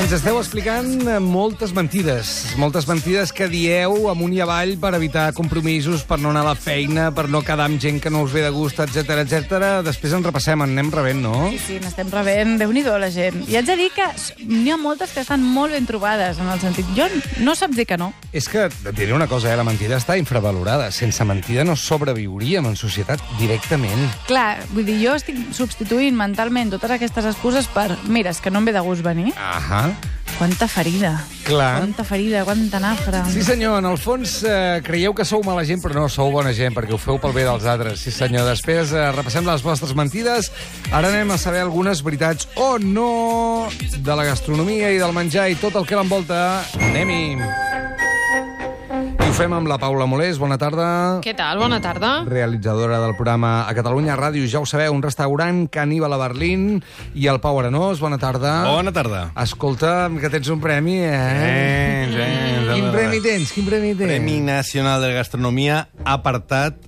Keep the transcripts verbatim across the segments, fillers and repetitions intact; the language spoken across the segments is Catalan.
Ens esteu explicant moltes mentides, moltes mentides que dieu amunt i avall per evitar compromisos, per no anar a la feina, per no quedar amb gent que no us ve de gust, etcètera, etcètera. Després en repassem, en anem rebent, no? Sí, sí, n'estem rebent. Déu-n'hi-do, la gent. I haig de dir que n'hi ha moltes que estan molt ben trobades, en el sentit... Jo no saps dir que no. És que, et diré una cosa, eh? La mentida està infravalorada. Sense mentida no sobreviuríem en societat directament. Clar, vull dir, jo estic substituint mentalment totes aquestes excuses per... Mira, és que no em ve de gust venir. Ahà. Quanta ferida. Clar. Quanta ferida, quanta nafra. Sí, senyor, en el fons eh, creieu que sou mala gent, però no, sou bona gent, perquè ho feu pel bé dels altres. Sí, senyor. Després eh, repassem les vostres mentides. Ara anem a saber algunes veritats o no de la gastronomia i del menjar i tot el que l'envolta. Anem-hi. I ho fem amb la Paula Molés. Bona tarda. Què tal? Bona tarda. Realitzadora del programa a Catalunya Ràdio. Ja ho sabeu, un restaurant caníbal a Berlín. I el Pau Arenós. Bona tarda. Bona tarda. Escolta, que tens un premi, eh? Sí, sí. Quin premi tens? Quin premi tens? Premi Nacional de Gastronomia apartat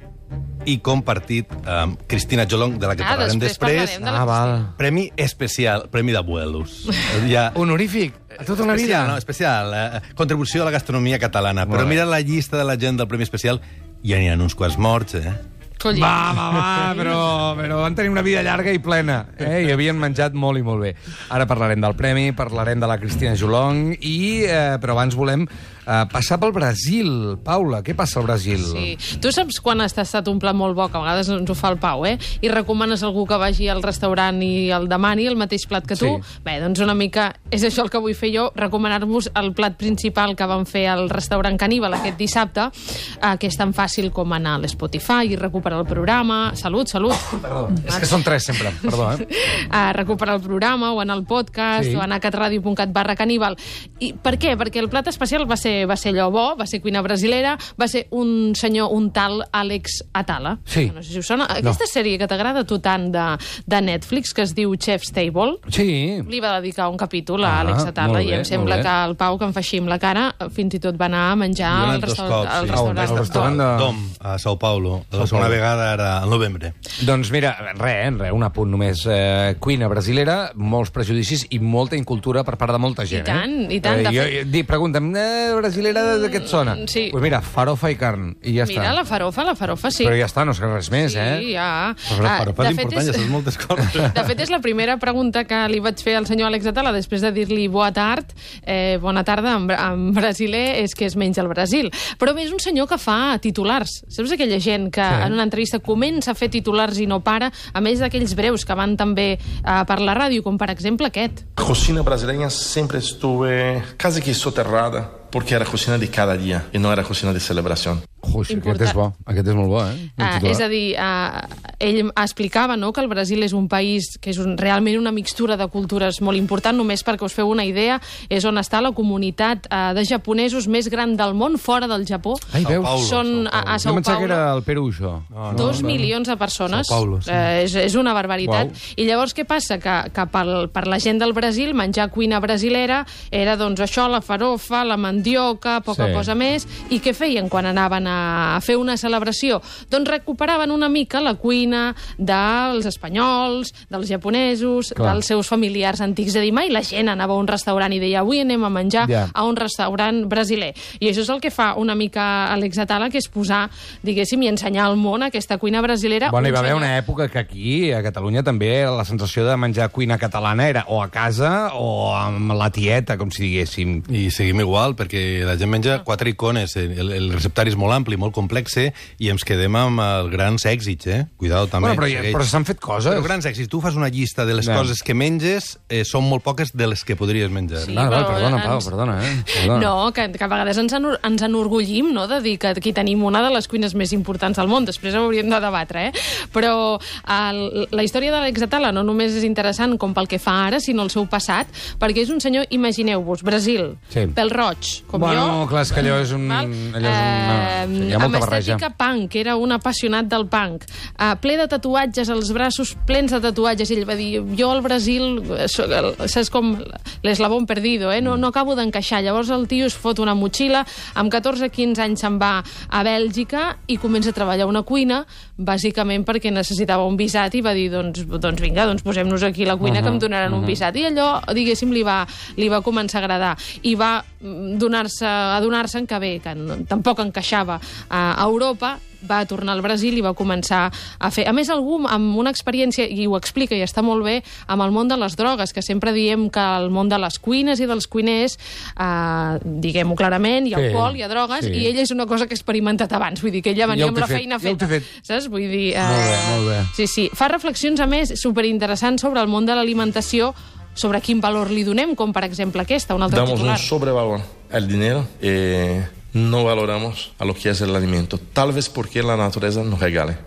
i compartit amb Cristina Jolong, de la que Ah, parlarem després després. parlarem de la Ah, val. Premi especial, premi d'abuelos. Ja... Honorífic. A tota una vida. Especial, no? Especial. Eh, contribució a la gastronomia catalana. Molt Però bé. mira la llista de la gent del Premi Especial, ja n'hi ha uns quants morts, eh? Colli. Va, va, va, però, però van tenir una vida llarga i plena. Eh? I havien menjat molt i molt bé. Ara parlarem del premi, parlarem de la Cristina Jolong, i, eh, però abans volem eh, passar pel Brasil. Paula, què passa al Brasil? Sí. Tu saps quan has tastat un plat molt bo, que a vegades ens ho fa el Pau, eh? I recomanes a algú que vagi al restaurant i el demani el mateix plat que tu? Sí. Bé, doncs una mica és això el que vull fer jo, recomanar-vos el plat principal que vam fer al restaurant Caníbal aquest dissabte, eh, que és tan fàcil com anar a l'Spotify i recuperar el programa. Salut, salut. Perdó, és que són tres sempre. Perdó, eh? A recuperar el programa o anar al podcast Sí. o anar a catradio punt cat barra caníbal. I per què? Perquè el plat especial va ser, va ser allò bo, va ser cuina brasilera, va ser un senyor, un tal Alex Atala. Sí. No sé si us sona. Aquesta sèrie que t'agrada a tu tant de, de Netflix, que es diu Chef's Table, Sí. li va dedicar un capítol a Ah, Alex Atala molt i bé, em sembla molt bé. que el Pau, que em fa així amb la cara, fins i tot va anar a menjar Jo he al anat dos restaurant, cops, al sí. restaurant, Al restaurant de- Dom, a Sao Paulo. Sao La segona Paulo. vegada era al novembre. Doncs mira, res, res, un apunt només. Eh, cuina brasilera, molts prejudicis i molta incultura per part de molta gent. I tant, eh? i tant, de Eh, jo, fet- di, pregunta'm, eh, brasilera de què et sona? sí. Pues mira, farofa i carn, i ja Mira, està. la farofa, la farofa, sí. Però ja està, no sé res més, Sí, eh? ja. Però la Ah, farofa de és fet, important, ja és- saps moltes coses. De fet, és la primera pregunta que li vaig fer al senyor Alex Atala després de dir-li boa tard, eh, bona tarda en, bra- en brasiler, és que es menja al Brasil. Però bé, és un senyor que fa titulars. Saps aquella gent que Sí. en una entrevista comença a fer titulars i no para, a més d'aquells breus que van també eh, per la ràdio, com per exemple aquest. A cocina brasileña siempre estuve casi que soterrada, porque era cocina de cada día y no era cocina de celebración. Ui, aquest Important. és bo, aquest és molt bo, eh? El Uh, titular. és a dir, uh, ell explicava, no?, que el Brasil és un país que és un, realment una mixtura de cultures molt important. Només perquè us feu una idea, és on està la comunitat uh, de japonesos més gran del món, fora del Japó. Ai, veus? Paulo, Són a, a Jo Sao pensava que Paulo era el Perú, això. No, dos milions de persones. Sao Paulo, sí. eh, és, és una barbaritat. Uau. I llavors què passa? Que, que pel, per la gent del Brasil menjar cuina brasilera era doncs això, la farofa, la mandioca, poca Sí. cosa més. I què feien quan anaven a fer una celebració? Doncs recuperaven una mica la cuina dels espanyols, dels japonesos, Clar. dels seus familiars antics. És a dir, mai la gent anava a un restaurant i deia avui anem a menjar Ja. a un restaurant brasiler. I això és el que fa una mica Alex Atala, que és posar, diguéssim, i ensenyar al món aquesta cuina brasilera. Bueno, hi Un va haver senyor- una època que aquí, a Catalunya, també la sensació de menjar cuina catalana era o a casa o amb la tieta, com si diguéssim. I seguim igual, perquè la gent menja quatre icones, el, el receptari és molt ampli, molt complex, i ens quedem amb els grans èxits, eh? Cuidado, també. Bueno, però, segueix. però s'han fet coses. Però grans èxits. Tu fas una llista de les Ja. coses que menges, eh, són molt poques de les que podries menjar. Sí, Val, val, però perdona, Pau, ens- perdona, eh? Perdona. No, que, que a vegades ens, enor ens enorgullim, no?, de dir que aquí tenim una de les cuines més importants del món. Després ho hauríem de debatre, eh? Però el, la història d'Alex Atala no només és interessant com pel que fa ara, sinó el seu passat, perquè és un senyor, imagineu-vos, Brasil, Sí. pèl roig, com Bueno, jo. clar, és que allò és un... Val? Allò és una... Eh, Sí, hi ha molta amb barreja. estètica punk, que era un apassionat del punk, uh, ple de tatuatges, als braços plens de tatuatges. Ell va dir, jo al Brasil, soc el, saps com l'eslabón perdido, eh? no, no acabo d'encaixar. Llavors el tio es fot una motxilla, amb catorze quinze anys se'n va a Bèlgica i comença a treballar a una cuina, bàsicament perquè necessitava un visat i va dir, doncs, doncs vinga, doncs posem-nos aquí a la cuina, uh -huh, que em donaran uh -huh. un visat. I allò, diguéssim, li va, li va començar a agradar. I va donar-se, adonar-se que bé, que no, tampoc encaixava a Europa, va tornar al Brasil i va començar a fer... A més, algú amb una experiència, i ho explica i està molt bé, amb el món de les drogues, que sempre diem que el món de les cuines i dels cuiners, eh, diguem-ho clarament, hi ha Sí, alcohol, hi ha drogues, sí. i ella és una cosa que ha experimentat abans, vull dir que ella venia Ja ho amb té la fet, feina ja ho té feta. fet. Saps? Vull dir... Eh, Molt bé, molt bé. Sí, sí. Fa reflexions, a més, superinteressants sobre el món de l'alimentació, sobre quin valor li donem, com per exemple aquesta, un altre Damos titular. un sobrevalor al dinero. Eh, no valoramos a lo que es el alimento. Tal vez porque la naturaleza nos regale.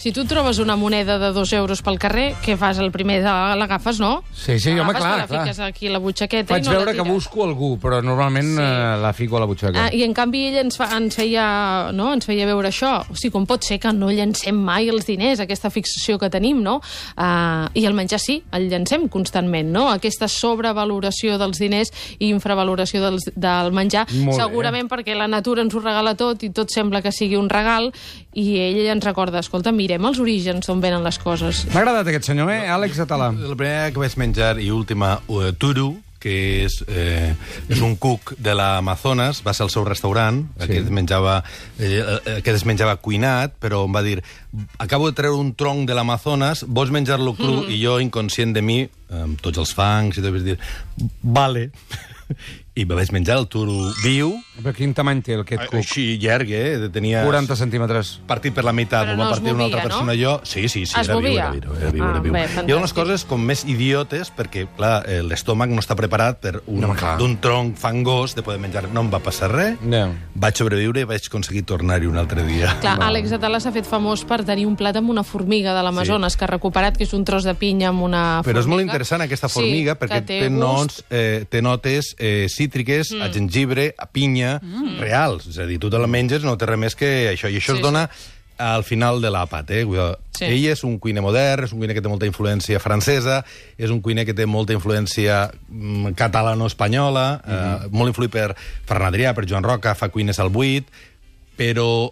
Si tu trobes una moneda de dos euros pel carrer, què fas? El primer l'agafes, no? Sí, sí, home, L'agafes, clar, la clar. fiques aquí a la butxaqueta Faig i no veure la que tires. busco algú, però normalment Sí. eh, la fico a la butxaca. Ah, I en canvi ell ens, fa, ens, feia, no? ens feia veure això. O sigui, com pot ser que no llancem mai els diners, aquesta fixació que tenim, no? Uh, I el menjar sí, el llancem constantment, no? Aquesta sobrevaloració dels diners i infravaloració dels, del menjar, Molt bé. segurament perquè la natura ens ho regala tot i tot sembla que sigui un regal, i ell ens recorda, escolta, mirem els orígens d'on venen les coses. M'ha agradat aquest senyor, eh? Àlex Atalà. La primera que vaig menjar i última, uh, Turu, que és, eh, és un cuc de l'Amazones, va ser el seu restaurant, Sí. aquest, menjava, eh, aquest es menjava cuinat, però em va dir, acabo de treure un tronc de l'Amazones, vols menjar-lo cru? Mm. I jo, inconscient de mi, amb tots els fangs, i tot, vaig dir, vale. I me vaig menjar el turu viu, Però quin tamany té aquest cuc? així llarg, eh? Tenia... quaranta centímetres. Partit per la meitat, Però me'l no va es partir una altra movia, persona, no? jo... Sí, sí, sí, Es era viu, movia? era viu, era viu, Ah, era viu. bé, Hi ha unes fantàstic. coses com més idiotes, perquè, clar, eh, l'estómac no està preparat per un, No, clar. d'un tronc fangós de poder menjar. No em va passar res, No. vaig sobreviure i vaig aconseguir tornar-hi un altre dia. Clar, Àlex Atalà s'ha fet famós per tenir un plat amb una formiga de l'Amazones, sí. que ha recuperat, que és un tros de pinya amb una formiga. Però és molt interessant aquesta formiga, sí, perquè té té, gust. noms, eh, té notes eh, cítriques, mm. a gengibre, a pinya, mm. reals. És a dir, tu te la menges, no té res més que això. I això Sí, es dona al final de l'àpat. Eh? Sí. Ell és un cuiner modern, és un cuiner que té molta influència francesa, és un cuiner que té molta influència mm, catalano-espanyola, mm -hmm. eh, molt influït per Ferran Adrià, per Joan Roca, fa cuines al buit, però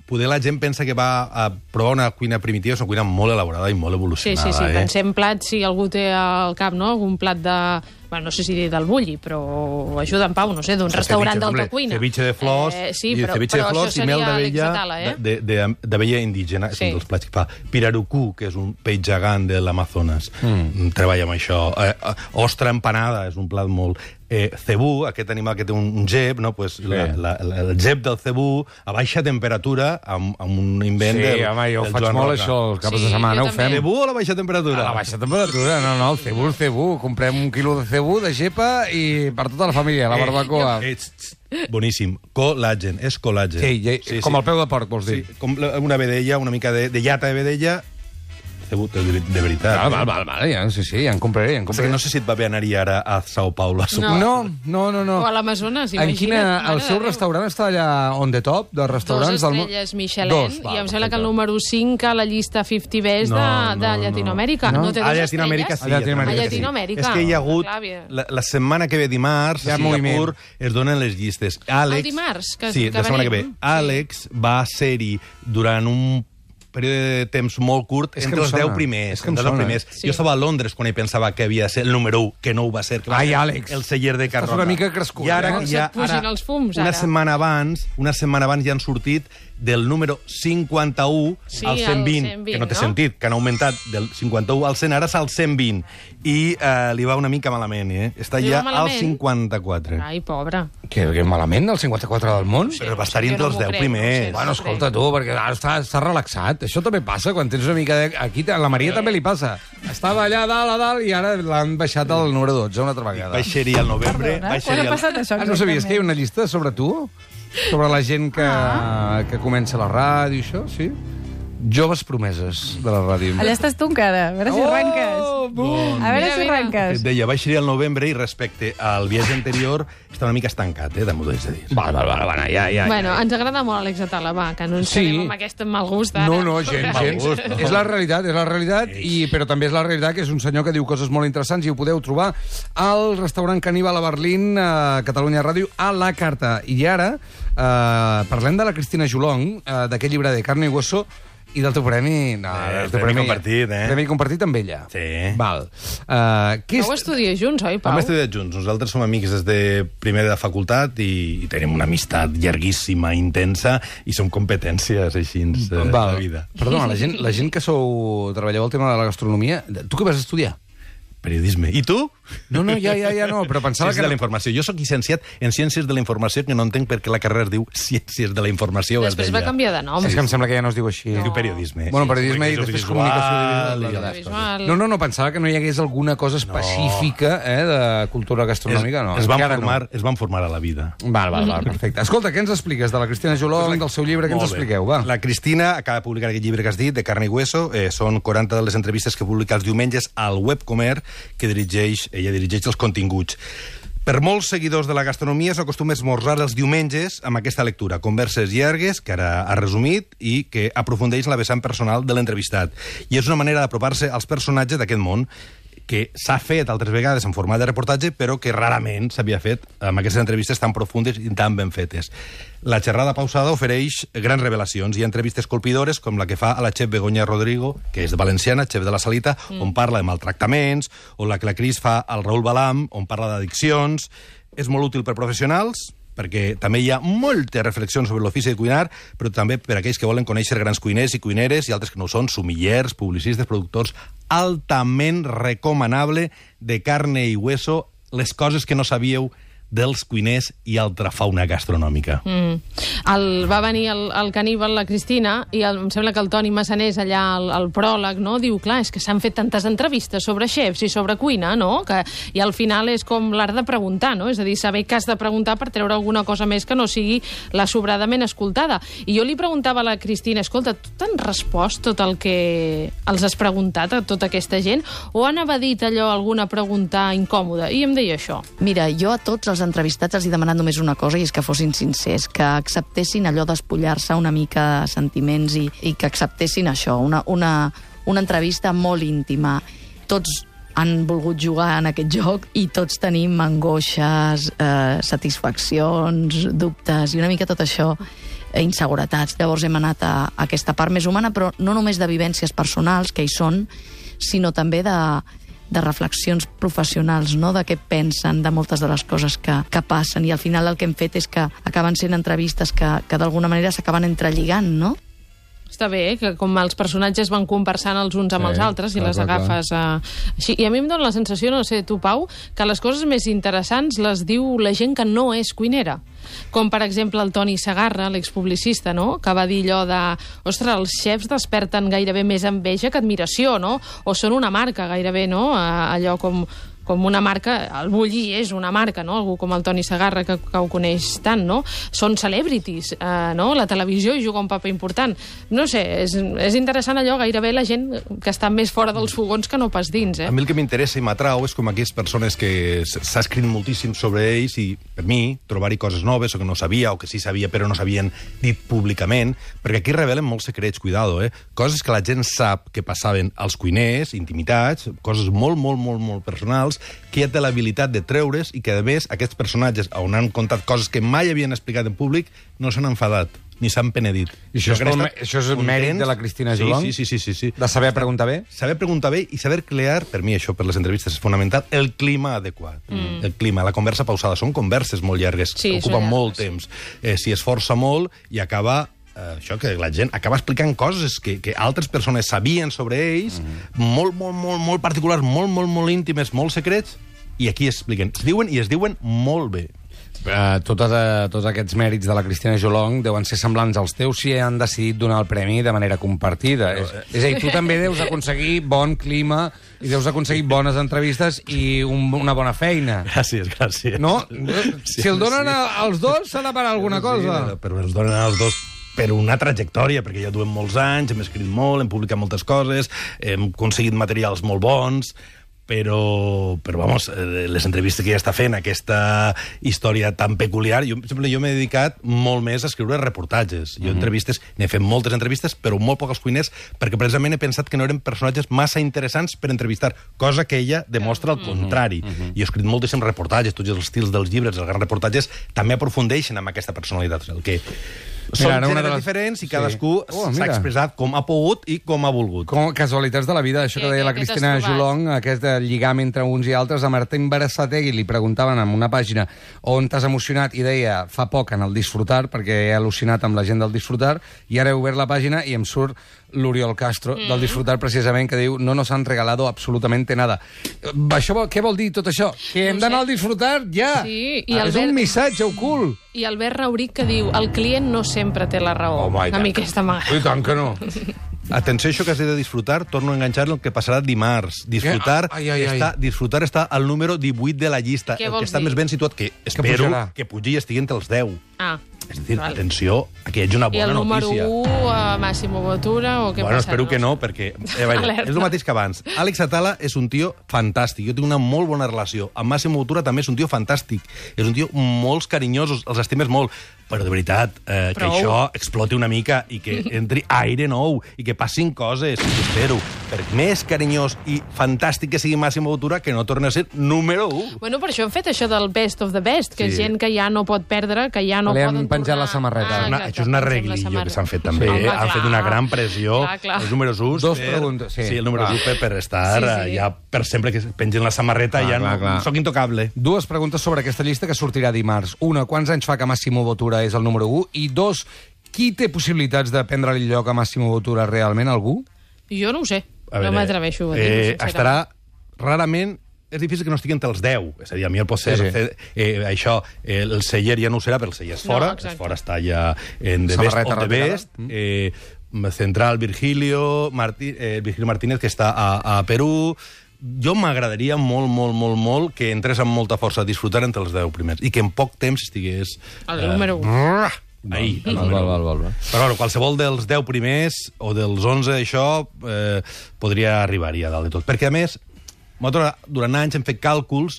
poder la gent pensa que va a provar una cuina primitiva, és una cuina molt elaborada i molt Sí, evolucionada. sí, sí. Eh? Pensem plats, si algú té al cap, no?, algun plat de... Bueno, no sé si dir del bulli, però ajuda en Pau, no sé, d'un restaurant Ceviche, d'alta hombre, cuina. Ceviche de flors, eh, sí, i però, ceviche però de flors això i mel seria d'abella l'exatala, eh? de- de- d'abella indígena, Sí. és un dels plats que fa. Pirarucú, que és un peix gegant de l'Amazones, mm. treballa amb això. Eh, eh, ostra empanada, és un plat molt... Eh, cebú, aquest animal que té un, un gep, no? Pues la, la, la, el gep del cebú a baixa temperatura amb, amb un invent Sí, del, home, jo del faig Joan molt Roca. això, els caps Sí, de setmana jo ho fem. també. Cebú a la baixa temperatura? A la baixa temperatura, no, no, el cebú, el cebú. Comprem un quilo de cebú, de gepa, i per tota la família, la barbacoa. Eh, ets, boníssim. Col·làgen, és col·làgen. Sí, ja, com el peu de porc, vols dir? Sí, com la- una vedella, una mica de, de llata de vedella, cebú, de, de veritat. Val, val, val, val, ja, sí, sí, ja en compraré, ja en Passa compraré. que no sé si et va bé anar-hi ara a Sao Paulo a sopar. No. No, no, no, no. O a l'Amazones, En imagina't. quina... mare El de seu Déu. restaurant està allà on the top de Dos restaurants del món? estrelles Michelin, Dos, val, i em sembla que perfecte. el número cinc a la llista cinquanta Best de, No, no, de no. Llatinoamèrica. No? No, té A dos Llatinoamèrica sí. estrelles? A Llatinoamèrica A sí. Llatinoamèrica. És que hi ha hagut... Clar, bien. La, la setmana que ve dimarts, Hi ha a Singapur, moviment. es donen les llistes. Àlex, El dimarts, que- sí, que la setmana que ve. venim. Sí. Àlex va ser-hi durant un període de temps molt curt, És que entre em els sona. deu primers. És que em entre els sona. primers. Sí. Jo estava a Londres quan ell pensava que havia de ser el número u, que no ho va ser. Que va Ai, ser Àlex. El celler de Carroca. una mica crescut, I ara, eh? Com ja, se't pugin ara, els fums, una ara. setmana abans, una setmana abans ja han sortit del número cinquanta-u Sí, al cent vint, al cent vint, que no té no? sentit, que han augmentat del cinquanta-u al cent, ara és al cent vint. I eh, li va una mica malament, eh? Està Li ja va al malament? cinquanta-quatre. Ai, pobre. Que, que malament, el cinquanta-quatre del món? Però va estar jo entre no els m'ho deu crec, primers. no sé. Bueno, escolta tu, perquè ara està, està relaxat. Això també passa quan tens una mica de... Aquí a la Maria també li passa. Estava allà dalt a dalt i ara l'han baixat al número dotze una altra vegada. Vaig ser-hi al novembre. Perdona, vaig quan ser-hi ha al... passat això? Ah, no sabies que hi ha una llista sobre tu? Sobre la gent que, Ah. que comença la ràdio i això, sí? Joves promeses de la ràdio. Allà estàs tu encara, a veure si arrenques. Oh, bum. A veure veure si arrenques. Et deia, baixaria al novembre i respecte al viatge anterior està una mica estancat, eh, també t'ho haig de dir. Val, val, val, val, ja, ja. Bueno, ja. ens agrada molt Àlex Atala, va, que no ens Sí. quedem amb aquest mal gust ara. No, no, gens, Mal gens. gust, no. És la realitat, és la realitat, i, però també és la realitat que és un senyor que diu coses molt interessants i ho podeu trobar al restaurant Caníbal a Berlín, a Catalunya Ràdio, a la carta. I ara eh, parlem de la Cristina Jolong, eh, d'aquest llibre de Carne i Hueso, i del teu premi... No, Eh, el teu premi compartit, eh? Premi compartit amb ella. Sí. Val. Uh, què Vau és... estudiar junts, oi, Pau? Hem estudiat junts. Nosaltres som amics des de primer de facultat i, i tenim una amistat llarguíssima, intensa, i som competències així eh, de la vida. Perdona, la gent, la gent que sou... treballeu el tema de la gastronomia, tu què vas estudiar? Periodisme. I tu? No, no, ja, ja, ja no, però pensava Ciències que... de la informació. Jo sóc llicenciat en Ciències de la Informació, que no entenc per què la carrera es diu Ciències de la Informació. Després va canviar de nom. És que em sembla que ja no es diu així. Es diu periodisme. Bueno, Sí, periodisme i comunicació després visual comunicació i audiovisual. Visual. No, no, no, pensava que no hi hagués alguna cosa específica eh, de cultura gastronòmica. No, es, van encara formar, no. es van formar a la vida. Val, val, val, perfecte. Escolta, què ens expliques de la Cristina Jolong, del seu llibre? Què ens Molt bé. expliqueu, va? La Cristina acaba de publicar aquest llibre que has dit, de Carne i Hueso. Eh, són quaranta de les entrevistes que publica els diumenges al Webcomer, que dirigeix, ella dirigeix els continguts. Per molts seguidors de la gastronomia s'acostuma a esmorzar els diumenges amb aquesta lectura, converses llargues, que ara ha resumit, i que aprofundeix la vessant personal de l'entrevistat. I és una manera d'apropar-se als personatges d'aquest món, que s'ha fet altres vegades en format de reportatge, però que rarament s'havia fet amb aquestes entrevistes tan profundes i tan ben fetes. La xerrada pausada ofereix grans revelacions. Hi ha entrevistes colpidores, com la que fa a la xef Begoña Rodrigo, que és valenciana, xef de la Salita, mm. on parla de maltractaments, o la que la Cris fa al Raül Balam, on parla d'addiccions. És molt útil per professionals, perquè també hi ha moltes reflexions sobre l'ofici de cuinar, però també per aquells que volen conèixer grans cuiners i cuineres i altres que no ho són, sumillers, publicistes, productors. Altament recomanable, de Carne i Hueso, les coses que no sabíeu dels cuiners i altra fauna gastronòmica. Mm. El, va venir el, el caníbal, la Cristina, i el, em sembla que el Toni Massanés allà al, al pròleg, no? Diu, clar, és que s'han fet tantes entrevistes sobre xefs i sobre cuina, no? Que, i al final és com l'art de preguntar, no? És a dir, saber què has de preguntar per treure alguna cosa més que no sigui la sobradament escoltada. I jo li preguntava a la Cristina, escolta, tu t'han respost tot el que els has preguntat a tota aquesta gent? O han evadit allò, alguna pregunta incòmoda? I em deia això. Mira, jo a tots els entrevistats els he demanat només una cosa, i és que fossin sincers, que acceptessin allò d'espullar-se una mica de sentiments i, i que acceptessin això, una, una, una entrevista molt íntima. Tots han volgut jugar en aquest joc i tots tenim angoixes, eh, satisfaccions, dubtes i una mica tot això, eh, inseguretats. Llavors hem anat a, a aquesta part més humana, però no només de vivències personals, que hi són, sinó també de de reflexions professionals, no? De què pensen, de moltes de les coses que, que passen, i al final el que hem fet és que acaben sent entrevistes que, que d'alguna manera s'acaben entrelligant, no? Està bé, que com els personatges van conversant els uns amb Sí, els altres i clar, les clar, agafes eh, així. I a mi em dóna la sensació, no sé, tu, Pau, que les coses més interessants les diu la gent que no és cuinera. Com, per exemple, el Toni Segarra, l'expublicista, no? Que va dir allò de... Ostres, els xefs desperten gairebé més enveja que admiració, no? O són una marca, gairebé, no? Allò com... com una marca, el Bulli és una marca, no? Algú com el Toni Segarra, que, que ho coneix tant, no? Són celebrities, eh, no? La televisió hi juga un paper important. No sé, és, és interessant allò, gairebé la gent que està més fora dels fogons que no pas dins, eh? A mi el que m'interessa i m'atrau és com aquelles persones que s'ha escrit moltíssim sobre ells i, per mi, trobar-hi coses noves o que no sabia, o que sí sabia però no s'havien dit públicament, perquè aquí revelen molts secrets, cuidado, eh? Coses que la gent sap que passaven als cuiners, intimitats, coses molt, molt, molt, molt personals, que ja té l'habilitat de treure's i que, a més, aquests personatges, on han contat coses que mai havien explicat en públic, no s'han enfadat, ni s'han penedit. I això és, pel, això és un mèrit de la Cristina Jolong? Sí, sí, sí, sí, sí. De saber preguntar bé? Saber preguntar bé i saber crear, per mi això, per les entrevistes, és fonamental, el clima adequat. Mm. El clima, la conversa pausada. Són converses molt llargues, sí, ocupen llargues. molt temps. Eh, S'hi esforça molt i acaba... això, que la gent acaba explicant coses que, que altres persones sabien sobre ells, mm. molt, molt, molt, molt particulars, molt, molt, molt íntimes, molt secrets, i aquí expliquen. Es diuen i es diuen molt bé. Uh, tota de, tots aquests mèrits de la Cristina Jolong deuen ser semblants als teus si han decidit donar el premi de manera compartida. És, és a dir, tu també deus aconseguir bon clima i deus aconseguir bones entrevistes i un, una bona feina. Gràcies, gràcies. No? Si el donen a, als dos, s'ha de parar alguna cosa. Sí, però els donen als dos per una trajectòria, perquè ja duem molts anys, hem escrit molt, hem publicat moltes coses, hem aconseguit materials molt bons, però, però vamos, les entrevistes que ja està fent, aquesta història tan peculiar, jo, sempre jo m'he dedicat molt més a escriure reportatges. Jo Mhm. entrevistes, n'he fet moltes entrevistes, però molt poc als cuiners, perquè precisament he pensat que no eren personatges massa interessants per entrevistar, cosa que ella demostra el contrari. Mhm. I he escrit moltíssims reportatges, tots els estils dels llibres, els grans reportatges, també aprofundeixen amb aquesta personalitat. El que són ara una gèneres de les- diferents i Sí. cadascú Oh, s'ha mira. expressat com ha pogut i com ha volgut. Com casualitats de la vida, això Sí, que deia la aquest Cristina has trobat. Jolong, aquest de lligam entre uns i altres, a Martín Berasategui li preguntaven en una pàgina on t'has emocionat i deia fa poc en el Disfrutar, perquè he al·lucinat amb la gent del Disfrutar, i ara he obert la pàgina i em surt l'Oriol Castro mm. del Disfrutar, precisament, que diu no nos han regalado absolutamente nada. Eh, Això, vol- què vol dir tot això? Que hem No ho d'anar sé. al Disfrutar ja! Sí, i Ah, és Albert- un missatge ocult! I Albert Rauric que diu el client no sempre té la raó. Home, i a tant. mi aquesta m'agrada. I tant que no. Atenció, això que has dit de disfrutar, torno a enganxar el que passarà dimarts. Disfrutar, Ai, ai, ai. està, disfrutar està al número divuit de la llista, Què el vols que està dir? més ben situat, que espero pujarà. que pugi i estigui entre els deu. Ah, És a dir, val. atenció, aquí hi hagi una I bona el número notícia. u, uh, Massimo Bottura, o què Bueno, passa? espero que no, perquè eh, vaja, Alerta. és el mateix que abans. Àlex Atala és un tio fantàstic. Jo tinc una molt bona relació. Amb Massimo Bottura també és un tio fantàstic. És un tio molts carinyosos, els estimes molt. Però, de veritat, eh, que Prou. això exploti una mica i que entri aire nou i que passin coses, espero. Per més carinyós i fantàstic que sigui Massimo Bottura, que no torni a ser número u. Bueno, per això hem fet això del best of the best, que Sí. és gent que ja no pot perdre, que ja no Li han poden penjat tornar. la samarreta. Ah, Una, exacte, això és una pensem la reglillo samarreta. que s'han fet també. Sí. Eh? Home, Han fet una clar. gran pressió. Clar, clar. Els números uns. Dos per... preguntes, sí. Sí, el número Clar. u per, per estar Sí, sí. eh, ja per sempre que pengen la samarreta Clar, ja clar, no, clar. soc intocable. Dues preguntes sobre aquesta llista que sortirà dimarts. Una, quants anys fa que Massimo Bottura és el número u? I dos, qui té possibilitats de prendre-li el lloc a Massimo Bottura realment? Algú? Jo no ho sé, A no veure, m'atreveixo a dir-ho, eh, sincerament. estarà rarament és difícil que no estigui entre els deu. És a dir, a mi el pot ser Sí, sí. fer, eh, això, eh, el celler ja no ho serà, però el celler és No, fora, exacte. és fora està ja en The Best Samarreta of the retirada. Best. Eh, central Virgilio, Martí, eh, Virgilio Martínez, que està a, a Perú. Jo m'agradaria molt, molt, molt, molt que entrés amb molta força a disfrutar entre els deu primers i que en poc temps estigués... El número u. Uh, ahí, el Val, número val, u. val, val. Però bueno, qualsevol dels deu primers o dels onze, això, eh, podria arribar-hi a dalt de tot. Perquè, a més, nosaltres durant anys hem fet càlculs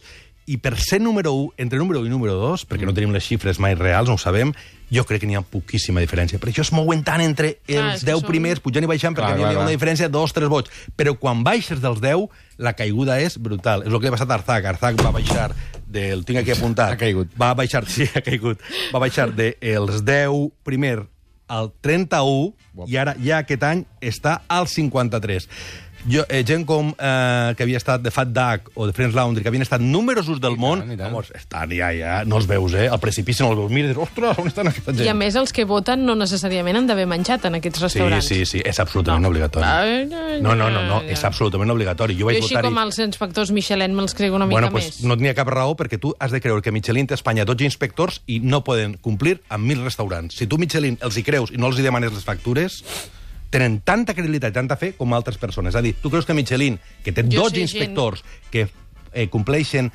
i per ser número u, entre número u i número dos, perquè no tenim les xifres mai reals, no ho sabem, jo crec que n'hi ha poquíssima diferència. Per això es mouen tant entre Clar, els és que deu són- primers, pujant i baixant, perquè Clar, n'hi ha clar, una clar. diferència de dos, tres vots. Però quan baixes dels deu, la caiguda és brutal. És el que li ha passat a Arzac. Arzac va baixar del... Tinc aquí apuntat. Ha caigut. Va baixar, sí, ha caigut. Va baixar dels deu primer al trenta-u i ara ja aquest any està al cinquanta-tres. Jo, eh, gent com eh, que havia estat de Fat Duck o de Friends Laundry, que havien estat números uns del I món, tant, i tant. vamos, estan ja, ja, no els veus, eh? Al precipici no els veus. Mira, ostres, on estan aquesta gent? I a més, els que voten no necessàriament han d'haver menjat en aquests Sí, restaurants. sí, sí, és absolutament No. obligatori. Ai, ai, No, no, no, no, ai, és ai. absolutament obligatori. Jo Jo vaig així votar-hi... com els inspectors Michelin me'ls crego una mica Bueno, pues més. no tenia cap raó perquè tu has de creure que Michelin té a Espanya dotze inspectors i no poden complir amb mil restaurants. Si tu Michelin els hi creus i no els hi demanes les factures, tenen tanta credibilitat i tanta fe com altres persones. És a dir, tu creus que Michelin, que té Jo dotze sé inspectors que eh, compleixen,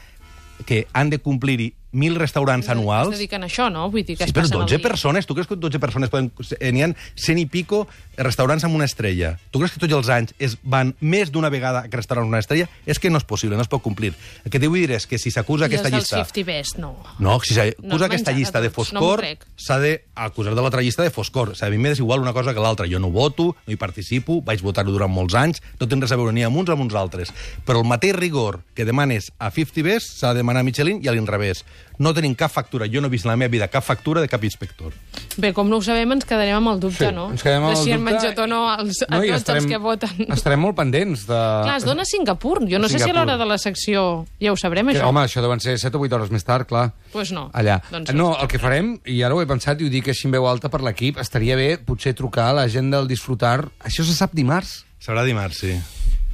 que han de complir mil restaurants Es anuals... dediquen a això, no? Vull dir que Sí, es però passen el dotze dia. persones, tu creus que dotze persones poden... eh, N'hi ha cent i pico restaurants amb una estrella. Tu creus que tots els anys es van més d'una vegada a aquest restaurant amb una estrella? És que no és possible, no es pot complir. El que t'hi vull dir és que si s'acusa I aquesta els del llista... cinquanta Best, no. No, si s'acusa No has aquesta menjat llista a de tots, no m'ho foscor, crec. s'ha d'acusar de l'altra llista de foscor. O sigui, a mi m'és igual una cosa que l'altra. Jo no voto, no hi participo, vaig votar-ho durant molts anys, no tenen res a veure ni amb uns amb uns altres. Però el mateix rigor que demanes a cinquanta Best s'ha de demanar a Michelin i a l'inrevés. No tenim cap factura, jo no he vist en la meva vida cap factura de cap inspector. Bé, com no ho sabem, ens quedarem amb el dubte, Sí, no? ens quedem amb de el si han dubte menjat o no els, a i tots els que voten. Estarem molt pendents de... Clar, es dona a Singapur. Jo no sé si a Singapur. l'hora de la secció ja ho sabrem, Que, això. home, això deuen ser set o vuit hores més tard, clar. Pues no. Allà. Doncs no, el que farem, i ara ho he pensat i ho dic així en veu alta per l'equip, estaria bé potser trucar a la gent del Disfrutar. Això se sap dimarts? Serà dimarts, sí.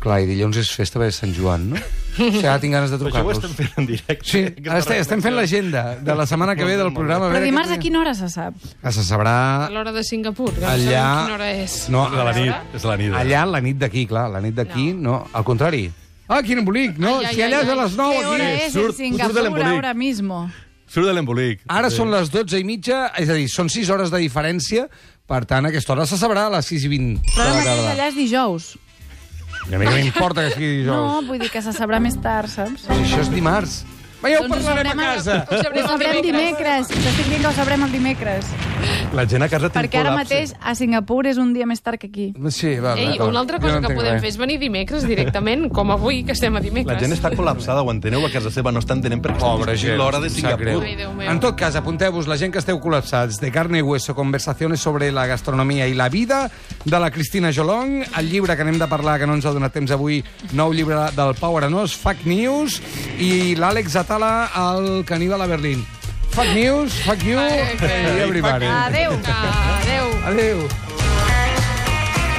Clar, i dilluns és festa de Sant Joan, no? O sigui, ara tinc ganes de Però això ho trucar-los. estem fent en directe. Sí, ara estem, estem fent l'agenda de la setmana que ve del programa. Però veure dimarts què- a quina hora se sap? Ah, se sabrà... A l'hora de Singapur, que no Allà... sabem quina hora és. No, És a la nit, és a la nit. allà la nit d'aquí, clar, la nit d'aquí, no. no, al contrari. Ah, quin embolic, no? Ai, ai, si allà ai, és a ai. les nou, ¿Qué hora aquí... es surt- en surt de Singapur l'embolic. ahora mismo? Surt de l'embolic. Ara són les dotze i mitja, és a dir, són sis hores de diferència, per tant, a aquesta hora se sabrà a les sis i vint de Però la ara mateix tarda. allà és dijous. I a mi que m'importa que sigui dijous. No, vull dir que se sabrà més tard, saps? Si això és dimarts. Va, ja ho Doncs ho parlarem a sabrem a- casa. Ho sabrem Ho sabrem el dimecres. T'estic dient que ho sabrem el dimecres. La gent a casa té un Perquè ara col·lapse. mateix a Singapur és un dia més tard que aquí. Sí, va, Ei, d'acord. una altra Jo cosa no que entenc podem res. fer és venir dimecres directament, com avui, que estem a dimecres. La gent està col·lapsada, ho enteneu? A casa seva no està entenent perquè Pobre estem gent. l'hora de em sap greu. Singapur. Ai, Déu meu. En tot cas, apunteu-vos, la gent que esteu col·lapsats, de carne y hueso, conversaciones sobre la gastronomia i la vida, de la Cristina Jolong, el llibre que anem de parlar, que no ens ha donat temps avui, nou llibre del Pau Arenós, Fake News, i l'Àlex Atala, el caníbal a Berlín. Fake News, fuck you, Ai, que- i everybody. Adéu. Adéu. Adéu.